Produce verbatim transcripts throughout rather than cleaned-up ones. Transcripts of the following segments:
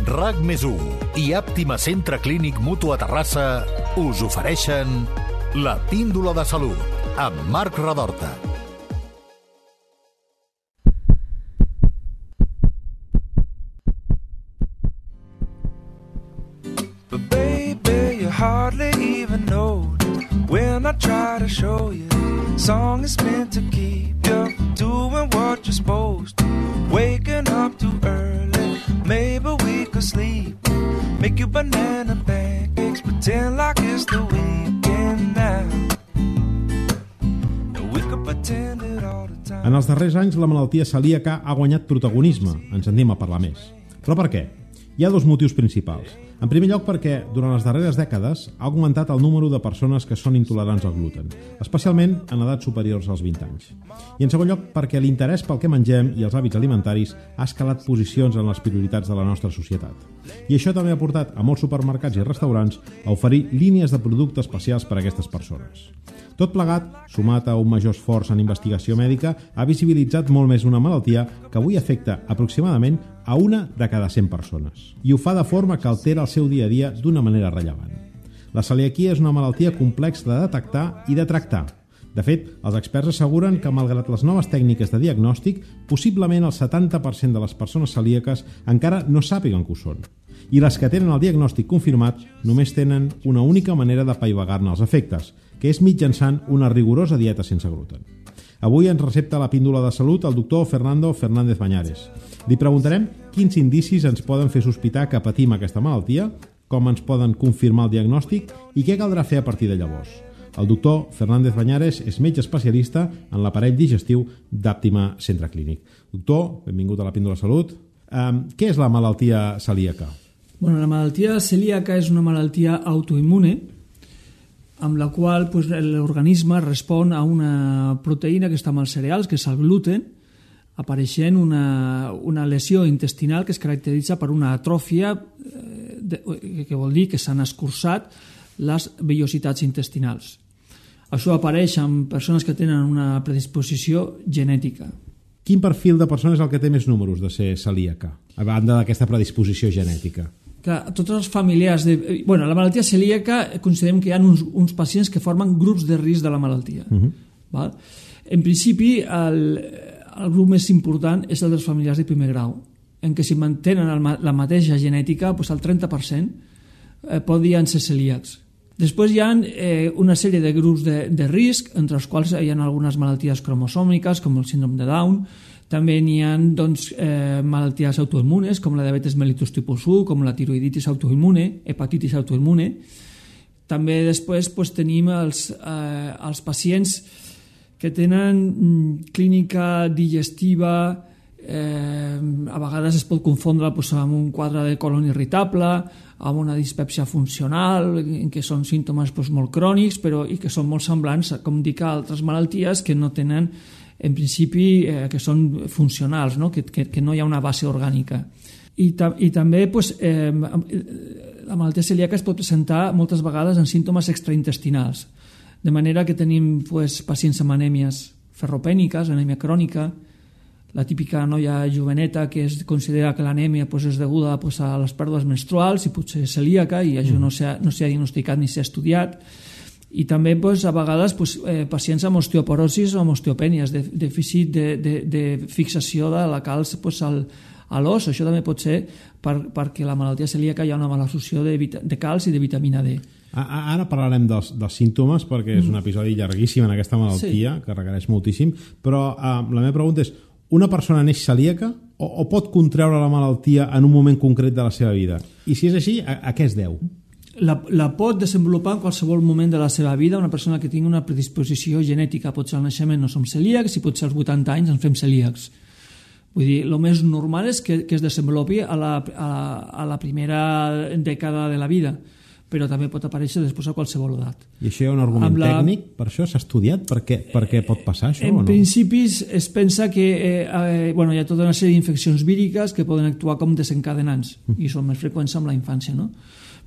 RAC més u i Àptima Centre Clínic Mutu a Terrassa us ofereixen La Píndola de Salut amb Marc Redorta. But baby, you hardly even know when I try to show you. Song is meant to keep you doing what you're supposed to. Waking up too early, maybe we could sleep. Make you banana pancakes, pretend like it's the weekend now. We could pretend it all the time. En els darrers anys, la malaltia celíaca ha guanyat protagonisme. En sentim a parlar més. Però per què? Hi ha dos motius principals. En primer lloc perquè, durant les darreres dècades, ha augmentat el número de persones que són intolerants al gluten, especialment en edats superiors als vint anys. I en segon lloc perquè l'interès pel que mengem i els hàbits alimentaris ha escalat posicions en les prioritats de la nostra societat. I això també ha portat a molts supermercats i restaurants a oferir línies de productes especials per a aquestes persones. Tot plegat, sumat a un major esforç en investigació mèdica, ha visibilitzat molt més una malaltia que avui afecta aproximadament a una de cada cent persones. I ho fa de forma que altera el seu dia a dia d'una manera rellevant. La celiaquia és una malaltia complexa de detectar i de tractar. De fet, els experts asseguren que, malgrat les noves tècniques de diagnòstic, possiblement el setanta per cent de les persones celíaques encara no sàpiguen que ho són. I les que tenen el diagnòstic confirmat només tenen una única manera d'apaivagar-ne els efectes, que és mitjançant una rigorosa dieta sense gluten. Avui ens recepta la píndola de salut el doctor Fernando Fernández Bañares. Li preguntarem quins indicis ens poden fer sospitar que patim aquesta malaltia, com ens poden confirmar el diagnòstic i què caldrà fer a partir de llavors. El doctor Fernández Bañares és metge especialista en l'aparell digestiu d'Àptima Centre Clínic. Doctor, benvingut a la píndola de salut. Um, què és la malaltia celíaca? Bueno, la malaltia celíaca és una malaltia autoimmune amb la qual pues, l'organisme respon a una proteïna que està en els cereals, que és el gluten, apareixent una, una lesió intestinal que es caracteritza per una atròfia, eh, de, que vol dir que s'han escurçat les vellositats intestinals. Això apareix en persones que tenen una predisposició genètica. Quin perfil de persona és el que té més números de ser celíaca, a banda d'aquesta predisposició genètica? Que tots els familiars... De, bueno, la malaltia celíaca considerem que hi ha uns, uns pacients que formen grups de risc de la malaltia. Uh-huh. Val? En principi, el, el grup més important és el dels familiars de primer grau, en què si mantenen el, la mateixa genètica, doncs el trenta per cent eh, podien ser celíacs. Després hi ha eh, una sèrie de grups de, de risc, entre els quals hi ha algunes malalties cromosòmiques, com el síndrome de Down. També n'hi ha doncs, eh, malalties autoimmunes, com la diabetes mellitus tipus u, com la tiroiditis autoimmune, hepatitis autoimmune. També després doncs, tenim els, eh, els pacients que tenen mm, clínica digestiva, eh, a vegades es pot confondre doncs, amb un quadre de colon irritable, amb una dispèpsia funcional, en què són símptomes doncs, molt crònics, però i que són molt semblants, com dic, a altres malalties que no tenen, en principi, eh, que són funcionals, no? Que, que, que no hi ha una base orgànica. I, ta, i també pues, eh, la malaltia celíaca es pot presentar moltes vegades en símptomes extraintestinals, de manera que tenim pues, pacients amb anèmies ferropèniques, anèmia crònica, la típica noia joveneta que es considera que l'anèmia pues, és deguda pues, a les pèrdues menstruals i potser és celíaca i això no s'ha no s'ha diagnosticat ni s'ha estudiat. I també pues, a vegades pues, eh, pacients amb osteoporosis o amb osteopènies, de, dèficit de, de, de fixació de la calç pues, al, a l'os. Això també pot ser per, perquè la malaltia celíaca hi ha una mala absorció de, de calç i de vitamina D. Ara parlarem dels, dels símptomes perquè és un episodi llarguíssim en aquesta malaltia, sí, que requereix moltíssim, però eh, la meva pregunta és: una persona neix celíaca o, o pot contreure la malaltia en un moment concret de la seva vida? I si és així, a, a què es deu? La, la pot desenvolupar en qualsevol moment de la seva vida una persona que tingui una predisposició genètica. Pot ser al naixement no som celíacs i pot ser als vuitanta anys ens fem celíacs. Vull dir, el més normal és que, que es desenvolupi a la, a, a la primera dècada de la vida. però també pot aparèixer després a qualsevol edat. I això hi ha un argument la... tècnic? Per això s'ha estudiat? Per què, per què pot passar això en o no? En principi es pensa que eh, eh, bueno, hi ha tota una sèrie d'infeccions víriques que poden actuar com desencadenants mm. i són més freqüents amb la infància, no?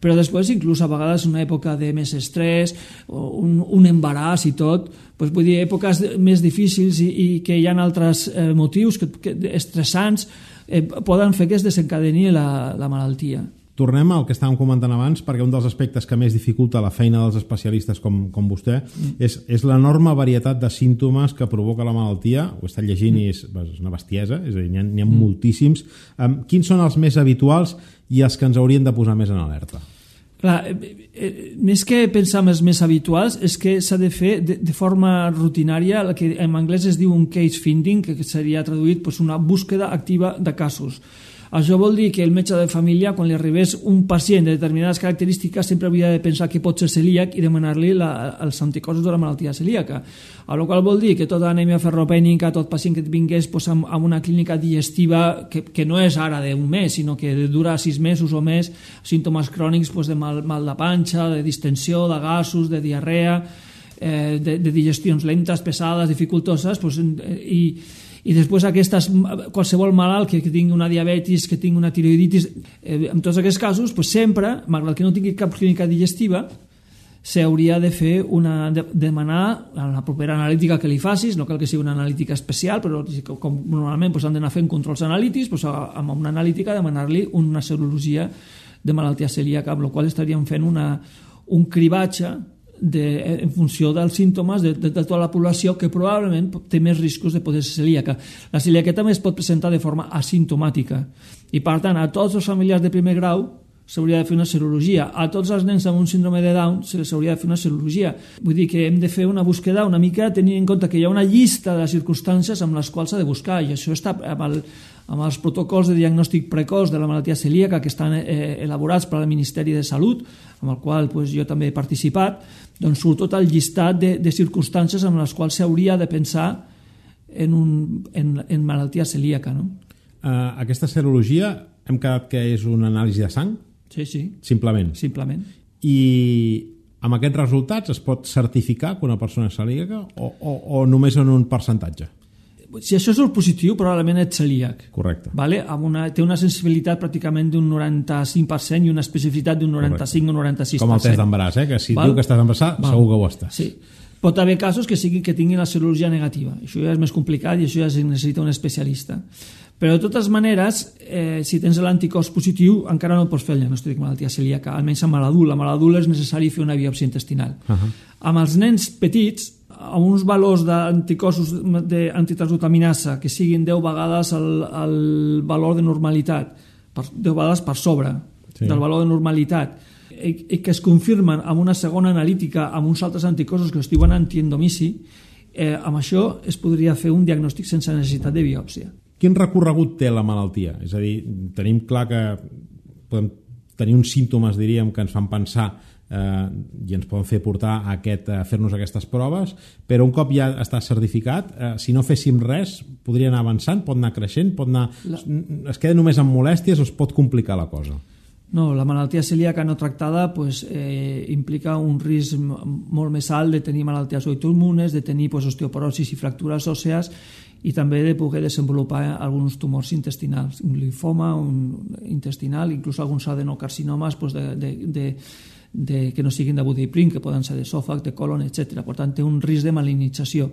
Però després, inclús a vegades una època de més estrès, un, un embaràs i tot, doncs vull dir, èpoques més difícils i, i que hi ha altres eh, motius que, que, estressants eh, poden fer que es desencadeni la, la malaltia. Tornem al que estàvem comentant abans, perquè un dels aspectes que més dificulta la feina dels especialistes com, com vostè mm. és, és l'enorme varietat de símptomes que provoca la malaltia. Ho he estat llegint mm. i és, és una bestiesa, és a dir, n'hi ha, n'hi ha mm. moltíssims. Um, quins són els més habituals i els que ens haurien de posar més en alerta? Clar, eh, eh, més que pensar en els més habituals és que s'ha de fer de, de forma rutinària el que en anglès es diu un case finding, que seria traduït pues, una búsqueda activa de casos. Això vol dir que el metge de família, quan li arribés un pacient de determinades característiques, sempre hauria de pensar que pot ser celíac i demanar-li la, els anticossos de la malaltia celíaca. A la qual vol dir que tota anèmia ferropènica, tot pacient que vingués pues, amb, amb una clínica digestiva que, que no és ara d'un mes, sinó que dura sis mesos o més, símptomes crònics pues, de mal, mal de panxa, de distensió, de gasos, de diarrea, eh, de, de digestions lentes, pesades, dificultoses, pues, i i després aquestes, qualsevol malalt que, que tingui una diabetis, que tingui una tiroiditis, eh, en tots aquests casos, pues sempre, malgrat que no tingui cap clínica digestiva, s'hauria de fer una, de, demanar a la propera analítica que li facis, no cal que sigui una analítica especial, però com normalment pues, han d'anar fent controls analítics, pues, amb una analítica demanar-li una serologia de malaltia celíaca, amb la qual estaríem fent una, un cribatge De, en funció dels símptomes de, de, de tota la població que probablement té més riscos de poder ser celíaca. La celíaca també es pot presentar de forma asimptomàtica i per tant a tots els familiars de primer grau s'hauria de fer una serologia. A tots els nens amb un síndrome de Down se les hauria de fer una serologia. Vull dir que hem de fer una búsqueda una mica tenint en compte que hi ha una llista de circumstàncies amb les quals s'ha de buscar i això està amb, el, amb els protocols de diagnòstic precoç de la malaltia celíaca que estan eh, elaborats per al Ministeri de Salut, amb el qual pues, jo també he participat, doncs surt tot el llistat de, de circumstàncies amb les quals s'hauria de pensar en, un, en, en malaltia celíaca. No? Uh, aquesta serologia hem quedat que és una anàlisi de sang? Sí, sí. Simplement? Simplement. I amb aquests resultats es pot certificar que una persona és celíaca o, o, o només en un percentatge? Si això és el positiu, probablement ets celíac. Correcte. Vale? Amb una, té una sensibilitat pràcticament d'un noranta-cinc per cent i una especificitat d'un noranta-cinc o noranta-sis per cent. Com el test d'embaràs, eh? Que si Val? diu que estàs embarassat, Val. segur que ho estàs. Sí. Pot haver casos que, sigui, que tinguin la serologia negativa. Això ja és més complicat i això ja es necessita un especialista. Però de totes maneres, eh, si tens l'anticòs positiu, encara no pots fer el diagnòstic de malaltia celíaca, almenys amb l'adult. Amb l'adult és necessari fer una biòpsia intestinal. Uh -huh. Amb els nens petits, amb uns valors d'anticossos d'antitransglutaminasa que siguin deu vegades el, el valor de normalitat, per, deu vegades per sobre sí. del valor de normalitat, i, i que es confirmen amb una segona analítica amb uns altres anticossos que es diuen antiendomici, eh, amb això es podria fer un diagnòstic sense necessitat de biòpsia. Quin recorregut té la malaltia? És a dir, tenim clar que podem tenir uns símptomes, diríem, que ens fan pensar eh, i ens poden fer portar a, aquest, a fer-nos aquestes proves, però un cop ja està certificat, eh, si no féssim res, podria anar avançant, pot anar creixent, pot anar... La... es queda només amb molèsties o es pot complicar la cosa? No, la malaltia celíaca no tractada pues, eh, implica un risc molt més alt de tenir malalties autoimmunes, de tenir pues, osteoporosis i fractures òssees i també de poder desenvolupar alguns tumors intestinals, un linfoma un intestinal, inclús alguns adenocarcinomes pues, de, de, de, de, que no siguin de Budiprim, que poden ser d'esòfag, de colon, etcètera. Per tant, té un risc de malignització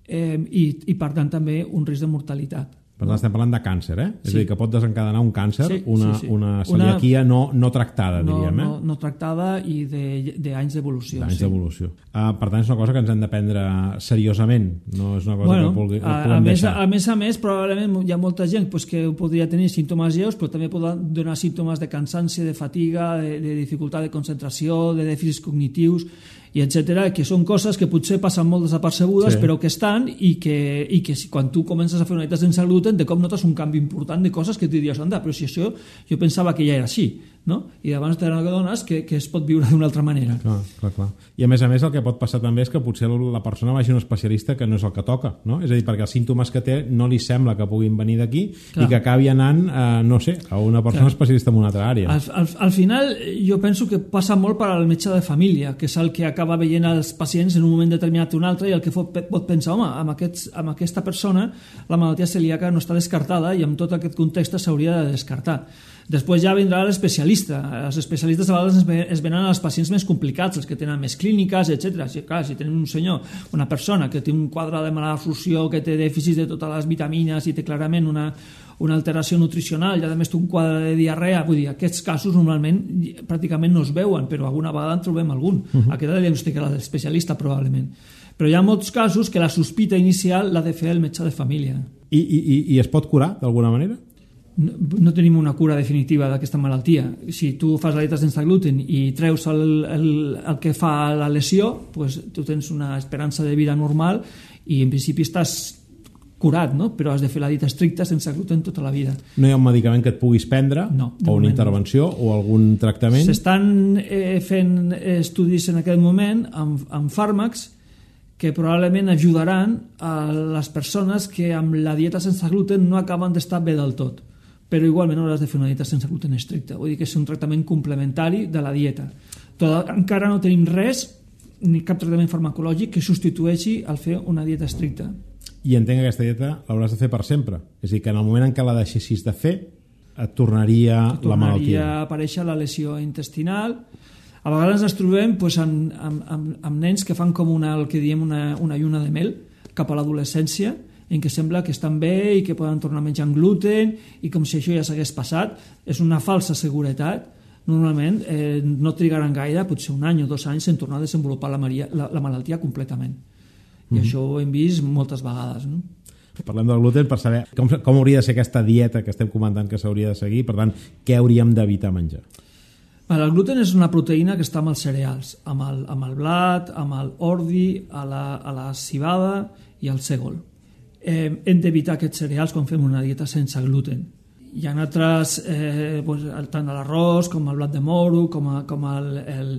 eh, i, i, per tant, també un risc de mortalitat. Per tant, estem parlant de càncer, eh? Sí. És a dir, que pot desencadenar un càncer, sí, una, sí, sí. una celiaquia una... no, no tractada, no, diríem. Eh? No, no tractada i d'anys de, d'evolució. D'anys sí. d'evolució. Uh, per tant, és una cosa que ens hem de prendre seriosament, no és una cosa bueno, que pugui, a, puguem a més, deixar. A més a més, probablement hi ha molta gent pues, que podria tenir símptomes lleus, però també pot donar símptomes de cansanci, de fatiga, de, de dificultat de concentració, de dèficits cognitius, i etcètera, que són coses que potser passen molt desapercebudes, sí. però que estan i que, i que si, quan tu comences a fer una dieta sense gluten, de cop notes un canvi important de coses que tu diries, anda, però si això jo pensava que ja era així. no? I llavors t'adones que, que es pot viure d'una altra manera. Clar, clar, clar. I a més a més el que pot passar també és que potser la persona vagi a un especialista que no és el que toca, no? És a dir, perquè els símptomes que té no li sembla que puguin venir d'aquí i que acabi anant, eh, no sé, a una persona clar. especialista en una altra àrea. Al, al, al final jo penso que passa molt per al metge de família, que és el que acaba veient els pacients en un moment determinat o un altre i el que pot, pot pensar, home, amb, aquests, amb aquesta persona la malaltia celíaca no està descartada i amb tot aquest context s'hauria de descartar. Després ja vindrà l'especialista. Els especialistes a vegades es venen als pacients més complicats, els que tenen més clíniques, etcètera. Si, clar, si tenen un senyor, una persona que té un quadre de malabsorció, que té dèficits de totes les vitamines i té clarament una, una alteració nutricional i a més té un quadre de diarrea, vull dir, aquests casos normalment pràcticament no es veuen, però alguna vegada en trobem algun. Uh-huh. Aquest ha de diagnosticar l'especialista probablement. Però hi ha molts casos que la sospita inicial l'ha de fer el metge de família. I, i, i es pot curar d'alguna manera? No, no tenim una cura definitiva d'aquesta malaltia. Si tu fas la dieta sense gluten i treus el, el, el que fa la lesió, pues, tu tens una esperança de vida normal i en principi estàs curat, no? Però has de fer la dieta estricta sense gluten tota la vida. No hi ha un medicament que et puguis prendre? No, o una intervenció no. O algun tractament? S'estan eh, fent estudis en aquest moment amb, amb fàrmacs que probablement ajudaran a les persones que amb la dieta sense gluten no acaben d'estar bé del tot, però igualment hauràs de fer una dieta sense gluten estricta, vull dir que és un tractament complementari de la dieta. Tot, encara no tenim res, ni cap tractament farmacològic que substitueixi al fer una dieta estricta. I entenc que aquesta dieta l'hauràs de fer per sempre, és a dir, que en el moment en què la deixessis de fer et tornaria, tornaria la malaltia. Tornaria a aparèixer la lesió intestinal. A vegades ens trobem pues, amb, amb, amb, amb nens que fan com una, el que diem una, una lluna de mel cap a l'adolescència, en què sembla que estan bé i que poden tornar menjant gluten i com si això ja s'hagués passat. És una falsa seguretat. Normalment eh, no trigaran gaire, potser un any o dos anys en tornar a desenvolupar la, maria, la, la malaltia completament. I mm-hmm. això ho hem vist moltes vegades, no? Parlem del gluten per saber com, com hauria de ser aquesta dieta que estem comentant que s'hauria de seguir, per tant, què hauríem d'evitar menjar? El gluten és una proteïna que està amb els cereals, amb el, amb el blat, amb el ordi, a la, a la civada i al sègol. Eh, hem d'evitar aquests cereals quan fem una dieta sense gluten. Hi ha altres, eh, doncs, tant l'arròs com el blat de moro, com, a, com el, el,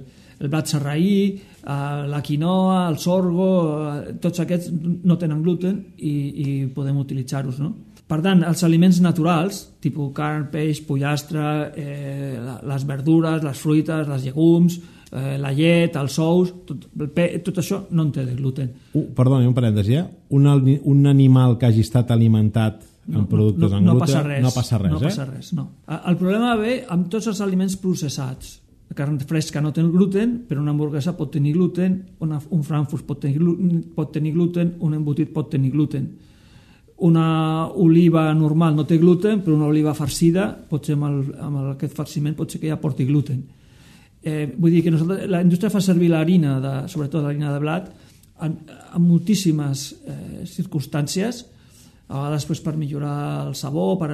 el blat sarraí, eh, la quinoa, el sorgo, eh, tots aquests no tenen gluten i, i podem utilitzar-los, no? Per tant, els aliments naturals, tipus carn, peix, pollastre, eh, les verdures, les fruites, les llegums, eh, la llet, els ous, tot, tot això no en té de gluten. Uh, perdoni, un parèntesi, eh? Un, un animal que hagi estat alimentat amb no, productes no, amb no gluten passa res, no passa res, no eh? passa res, no. El problema ve amb tots els aliments processats. La carn fresca no té gluten, però una hamburguesa pot tenir gluten, una, un frankfurt pot tenir, pot tenir gluten, un embotit pot tenir gluten. Una oliva normal no té gluten, però una oliva farcida, potser amb, el, amb el, aquest farciment potser que ja porti gluten. Eh, vull dir que nosaltres, la indústria fa servir l'harina, de, sobretot l'harina de blat, en, en moltíssimes eh, circumstàncies, a vegades pues, per millorar el sabor, per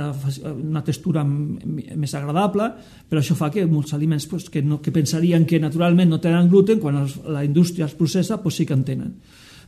una textura més agradable, però això fa que molts aliments pues, que, no, que pensarien que naturalment no tenen gluten, quan els, la indústria els processa, pues, sí que en tenen.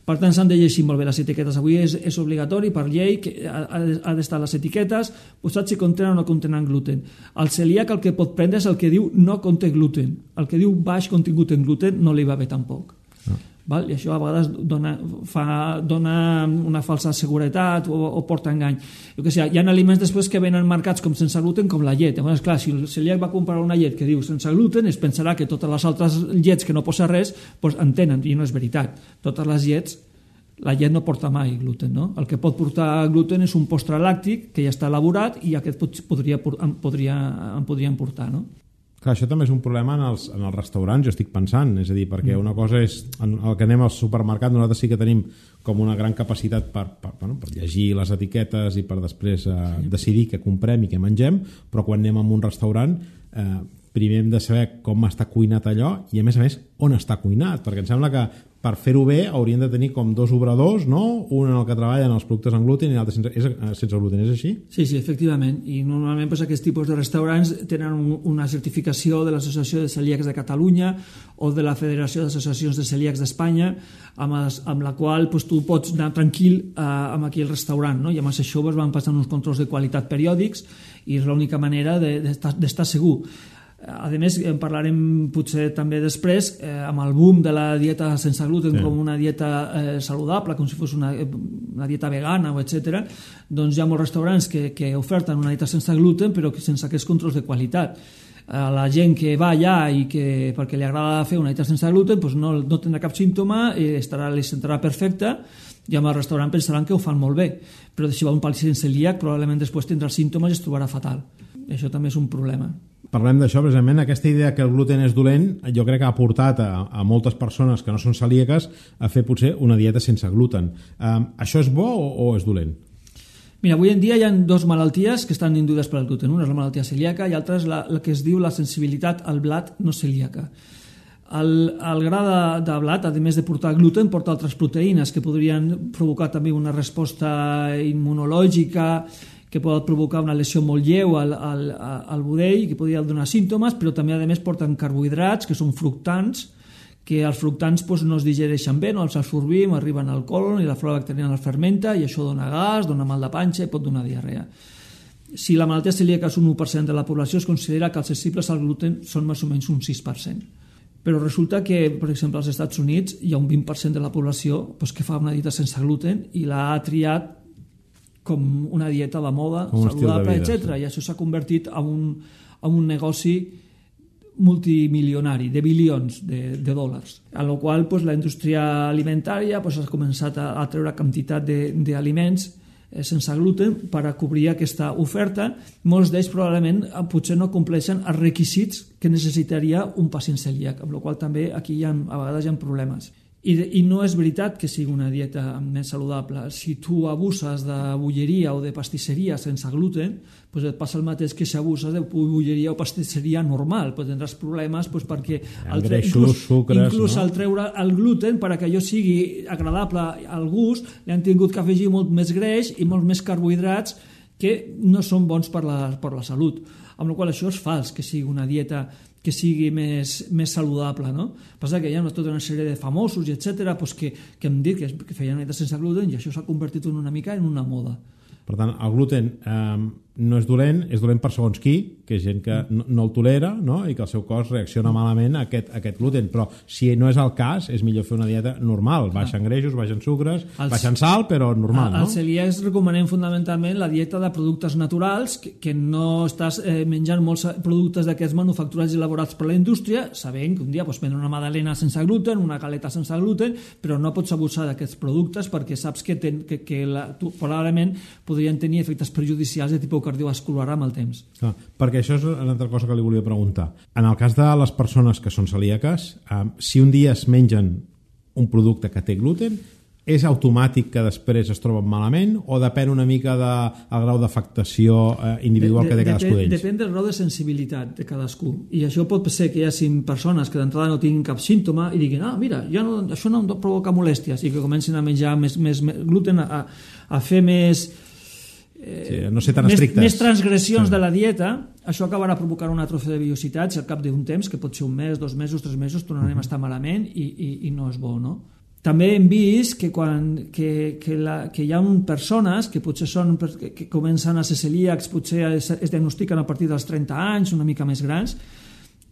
Per tant, s'han de llegir molt bé les etiquetes. Avui és, és obligatori per llei que ha, ha d'estar les etiquetes posats si contenen o no contenen gluten. El celíac el que pot prendre és el que diu no conté gluten. El que diu baix contingut en gluten no li va bé tampoc. No. Val? I això a vegades dona, fa, dona una falsa seguretat o, o porta engany. Jo que sé, hi ha aliments després que venen marcats com sense gluten, com la llet. Llavors, clar, si el celíac va comprar una llet que diu sense gluten, es pensarà que totes les altres llets que no posa res doncs en tenen, i no és veritat. Totes les llets, la llet no porta mai gluten, no? El que pot portar gluten és un postre làctic que ja està elaborat i aquest podria, en, podria, en podrien portar, no? Clar, això també és un problema en els, en els restaurants, jo estic pensant, és a dir, perquè una cosa és el que anem al supermercat, nosaltres sí que tenim com una gran capacitat per, per, bueno, per llegir les etiquetes i per després eh, decidir què comprem i què mengem, però quan anem a un restaurant eh, primer hem de saber com està cuinat allò i a més a més on està cuinat, perquè em sembla que per fer-ho bé haurien de tenir com dos obradors, no? Un en el que treballen els productes amb gluten i l'altre sense, és, sense gluten, és així? Sí, sí, efectivament, i normalment doncs, aquests tipus de restaurants tenen un, una certificació de l'Associació de Celíacs de Catalunya o de la Federació d'Associacions de Celíacs d'Espanya, amb, els, amb la qual doncs, tu pots anar tranquil eh, amb aquí el restaurant, no? I amb això doncs, van passant uns controls de qualitat periòdics i és l'única manera d'estar de, de, segur. A més, en parlarem potser també després, eh, amb el boom de la dieta sense gluten, sí, com una dieta eh, saludable, com si fos una, una dieta vegana, o etcètera. Doncs hi ha molts restaurants que, que oferten una dieta sense gluten, però que sense aquests controls de qualitat. A la gent que va allà i que perquè li agrada fer una dieta sense gluten, doncs no, no tindrà cap símptoma, eh, estarà, li sentarà perfecta, i amb el restaurant pensaran que ho fan molt bé, però si va un pacient celíac probablement després tindrà símptomes i es trobarà fatal. Això també és un problema. Parlem d'això, precisament, aquesta idea que el gluten és dolent, jo crec que ha portat a, a moltes persones que no són celíaques a fer potser una dieta sense gluten. Um, això és bo o, o és dolent? Mira, avui en dia hi ha dues malalties que estan induïdes per el gluten. Una és la malaltia celíaca i l'altra és la, la que es diu la sensibilitat al blat no celíaca. El, el gra de, de blat, a més de portar gluten, porta altres proteïnes que podrien provocar també una resposta immunològica, que pot provocar una lesió molt lleu al, al, al budell, que podria donar símptomes, però també a més porten carbohidrats, que són fructants, que els fructants doncs, no es digereixen bé, no els absorbim, arriben al colon i la flora bacteriana els fermenta i això dona gas, dona mal de panxa i pot donar diarrea. Si la malaltia celíaca és un u per cent de la població, es considera que els sensibles al gluten són més o menys un sis per cent. Però resulta que, per exemple, als Estats Units hi ha un vint per cent de la població doncs, que fa una dieta sense gluten i l'ha triat com una dieta de moda, un saludable, vida, etcètera. sí. I això s'ha convertit en un, en un negoci multimilionari, de bilions de, de dòlars. A la qual pues, la indústria alimentària pues, ha començat a, a treure quantitat d'aliments eh, sense gluten per a cobrir aquesta oferta. Molts d'ells probablement eh, potser no compleixen els requisits que necessitaria un pacient celíac, amb la qual també aquí hi ha, a vegades hi ha problemes. I, I no és veritat que sigui una dieta més saludable. Si tu abuses de bolleria o de pastisseria sense gluten, doncs et passa el mateix que si abuses de bolleria o pastisseria normal. Doncs tindràs problemes doncs, perquè el tre... Greixos, inclús, sucres, inclús no? al treure el gluten, per a que allò sigui agradable al gust, li han tingut que afegir molt més greix i molts més carbohidrats que no són bons per la, per la salut. Amb la qual això és fals que sigui una dieta que sigui més, més saludable, no? Passa que hi ha tota una sèrie de famosos i etcètera pues que, que hem dit que, que feien dieta sense gluten i això s'ha convertit en una mica en una moda. Per tant, el gluten eh, no és dolent, és dolent per segons qui, que és gent que no, no el tolera, no? I que el seu cos reacciona malament a aquest, a aquest gluten. Però si no és el cas, és millor fer una dieta normal. Baixen greixos, baixen sucres, Els, baixen sal, però normal, a, no? Als celíacs recomanem fundamentalment la dieta de productes naturals, que, que no estàs eh, menjant molts productes d'aquests manufacturats i elaborats per la indústria, sabent que un dia pots prendre una magdalena sense gluten, una galeta sense gluten, però no pots abusar d'aquests productes perquè saps que, ten, que, que la, tu, probablement podrien tenir efectes perjudicials de tipus cardiovascular amb el temps. Clar, perquè això és una altra cosa que li volia preguntar. En el cas de les persones que són celíaques, eh, si un dia es mengen un producte que té gluten, és automàtic que després es troben malament o depèn una mica del de, grau d'afectació eh, individual de, de, que té cadascú depèn, d'ells? Depèn del grau de sensibilitat de cadascú. I això pot ser que hi hagi persones que d'entrada no tinguin cap símptoma i diguin, ah, mira, ja no, això no em provoca molèsties, i que comencin a menjar més, més, més gluten, a, a fer més... Eh, sí, no ser tan més, estrictes. més transgressions sí. de la dieta. Això acabarà provocant una atrofia de biocitats i al cap d'un temps, que pot ser un mes, dos mesos, tres mesos, tornarem uh -huh. a estar malament i, i, i no és bo, no? També hem vist que, quan, que, que, la, que hi ha persones que potser són, que, que comencen a ser celíacs, potser es, es diagnostiquen a partir dels trenta anys, una mica més grans,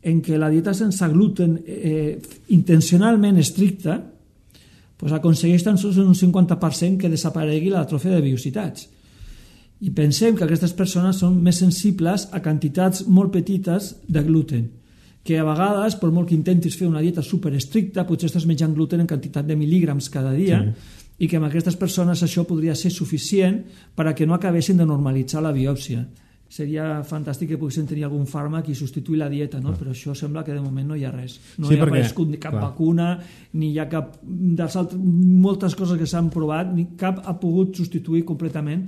en què la dieta sense gluten eh, intencionalment estricta pues aconsegueix tan sols un cinquanta per cent que desaparegui l'atrofia de biocitats. I pensem que aquestes persones són més sensibles a quantitats molt petites de gluten, que a vegades, per molt que intentis fer una dieta superestricta, potser estàs menjant gluten en quantitat de mil·lígrams cada dia, sí. I que amb aquestes persones això podria ser suficient per a que no acabessin de normalitzar la biòpsia. Seria fantàstic que poguessin tenir algun fàrmac i substituir la dieta, no? Però això sembla que de moment no hi ha res. No sí, hi ha aparegut ni cap clar. vacuna, ni hi ha cap... Dels altres, moltes coses que s'han provat, ni cap ha pogut substituir completament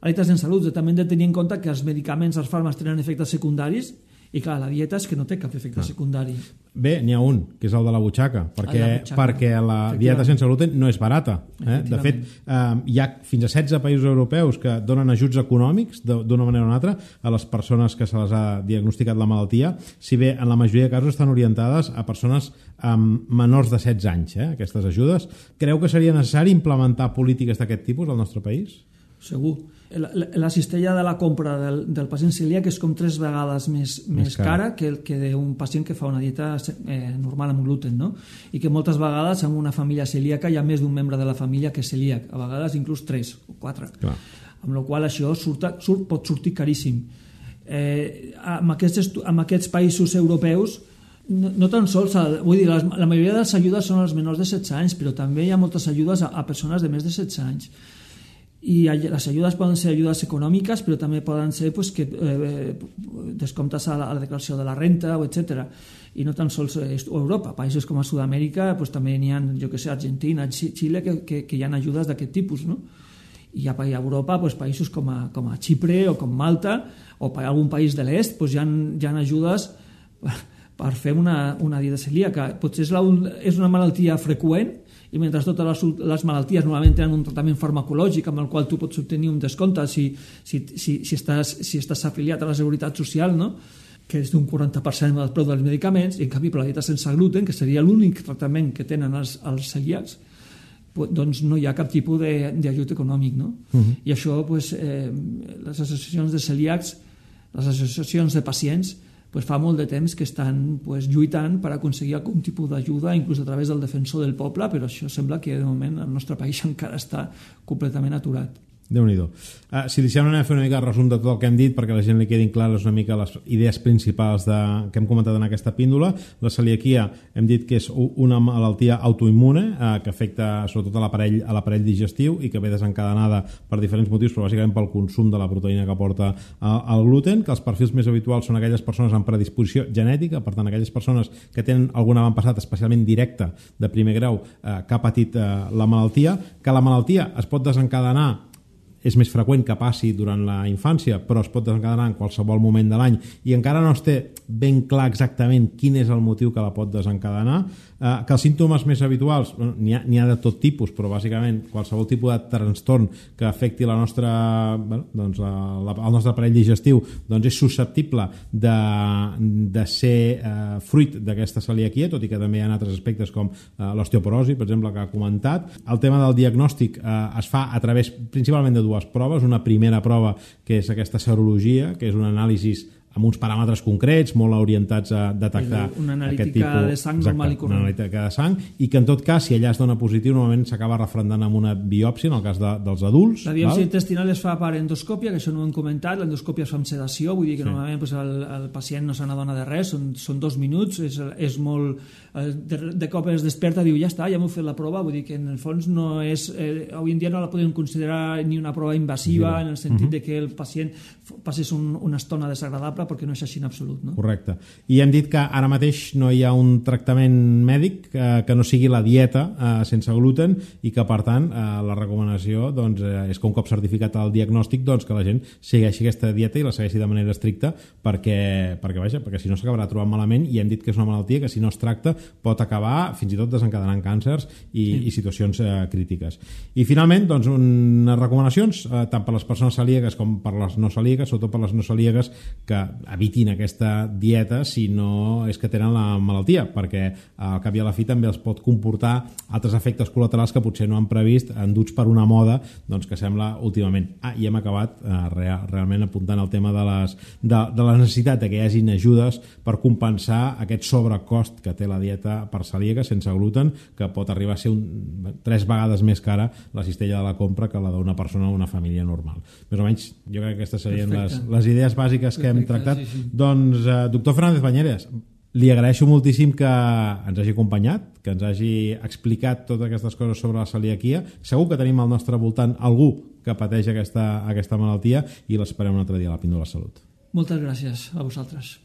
la dieta sense gluten. També hem de tenir en compte que els medicaments, els fàrmacs tenen efectes secundaris i clar, la dieta és que no té cap efecte ah. secundari. Bé, n'hi ha un, que és el de la butxaca, perquè la, butxaca. perquè la dieta sense gluten no és barata. Eh? De fet, eh, hi ha fins a setze països europeus que donen ajuts econòmics d'una manera o una altra a les persones que se les ha diagnosticat la malaltia, si bé en la majoria de casos estan orientades a persones amb menors de setze anys, eh? aquestes ajudes. Creu que seria necessari implementar polítiques d'aquest tipus al nostre país? Segur. la, la cistella de la compra del, del pacient celíac és com tres vegades més, més, més cara que, que d'un pacient que fa una dieta eh, normal amb gluten, no? I que moltes vegades en una família celíaca hi ha més d'un membre de la família que és celíac, a vegades inclús tres o quatre. Clar. Amb la qual això surt, surt, pot sortir caríssim. Eh, amb, aquests, amb aquests països europeus no, no tan sols, vull dir, les, la majoria de les ajudes són als menors de setze anys, però també hi ha moltes ajudes a, a persones de més de setze anys. I les ajudes poden ser ajudes econòmiques, però també poden ser pues, que, eh, descomptes a la, a la declaració de la renta, etcètera. I no tan sols a Europa, països com a Sud-amèrica pues, també n'hi ha, jo que sé, Argentina, Xile, que, que, que hi ha ajudes d'aquest tipus, no? I a Europa, pues, països com a, com a Xipre o com Malta o per algun país de l'est, pues, hi, ha, hi ha ajudes per fer una, una dieta celíaca. Potser és, la, és una malaltia freqüent, i mentre totes les, les malalties normalment tenen un tractament farmacològic amb el qual tu pots obtenir un descompte si, si, si, si, estàs, si estàs afiliat a la Seguretat Social, no? Que és d'un quaranta per cent del preu dels medicaments, i en canvi per la dieta sense gluten, que seria l'únic tractament que tenen els, els celíacs, doncs no hi ha cap tipus d'ajut econòmic, no? Uh-huh. I això, pues, eh, les associacions de celíacs, les associacions de pacients, pues fa molt de temps que estan pues, lluitant per aconseguir algun tipus d'ajuda, inclús a través del defensor del poble, però això sembla que de moment el nostre país encara està completament aturat. Déu-n'hi-do. Uh, si deixem anar a fer una mica el resum de tot el que hem dit perquè a la gent li quedin clares una mica les idees principals de, que hem comentat en aquesta píndola. La celiaquia hem dit que és una malaltia autoimmune uh, que afecta sobretot a l'aparell a l'aparell digestiu i que ve desencadenada per diferents motius, però bàsicament pel consum de la proteïna que porta uh, el gluten, que els perfils més habituals són aquelles persones amb predisposició genètica, per tant aquelles persones que tenen algun avantpassat especialment directe de primer grau uh, que ha patit uh, la malaltia, que la malaltia es pot desencadenar, és més freqüent que passi durant la infància, però es pot desencadenar en qualsevol moment de l'any i encara no es té ben clar exactament quin és el motiu que la pot desencadenar, eh, que els símptomes més habituals, bueno, n'hi ha, n'hi ha de tot tipus, però bàsicament qualsevol tipus de trastorn que afecti la nostra, bueno, doncs, la, la, el nostre aparell digestiu doncs és susceptible de, de ser eh, fruit d'aquesta celiaquia, tot i que també hi ha altres aspectes com eh, l'osteoporosi, per exemple, que ha comentat. El tema del diagnòstic eh, es fa a través principalment de dues proves. Una primera prova que és aquesta serologia, que és un anàlisi amb uns paràmetres concrets, molt orientats a detectar una aquest tipus... Una analítica de sang normal i corrent. Una analítica de sang, i que en tot cas, si allà es dona positiu, normalment s'acaba referendant amb una biòpsia, en el cas de, dels adults. La biòpsia val? intestinal es fa per endoscòpia, que això no ho hem comentat, l'endoscòpia es fa amb sedació, vull dir que sí. Normalment pues, el, el pacient no se n'adona de res, són, són dos minuts, és, és molt... De, de cop es desperta i diu, ja està, ja m'ho fet la prova, vull dir que en el fons no és... Eh, avui en dia no la podem considerar ni una prova invasiva, sí. En el sentit uh-huh. de que el pacient passés un, una estona desagradable, perquè no és així en absolut, no? Correcte. I hem dit que ara mateix no hi ha un tractament mèdic eh, que no sigui la dieta eh, sense gluten i que, per tant, eh, la recomanació doncs, eh, és que un cop certificat el diagnòstic doncs, que la gent segueixi aquesta dieta i la segueixi de manera estricta perquè, perquè, vaja, perquè si no s'acabarà trobant malament, i hem dit que és una malaltia que si no es tracta pot acabar fins i tot desencadenant càncers i, sí. i situacions eh, crítiques. I finalment, doncs, unes recomanacions eh, tant per les persones celíaques com per les no celíaques, sobretot per les no celíaques, que evitin aquesta dieta si no és que tenen la malaltia, perquè al cap i a la fi també els pot comportar altres efectes col·laterals que potser no han previst, enduts per una moda doncs, que sembla últimament. Ah, i hem acabat eh, real, realment apuntant el tema de, les, de, de la necessitat de que hi hagin ajudes per compensar aquest sobrecost que té la dieta per celíaca sense gluten, que pot arribar a ser un, tres vegades més cara la cistella de la compra que la d'una persona o una família normal. Més o menys, jo crec que aquestes serien les, les idees bàsiques que Perfecte, hem tractat. Sí, sí. Doncs, eh, doctor Fernández Bañeres, li agraeixo moltíssim que ens hagi acompanyat, que ens hagi explicat totes aquestes coses sobre la celiaquia. Segur que tenim al nostre voltant algú que pateix aquesta, aquesta malaltia i l'esperem un altre dia a la Píndola de Salut. Moltes gràcies a vosaltres.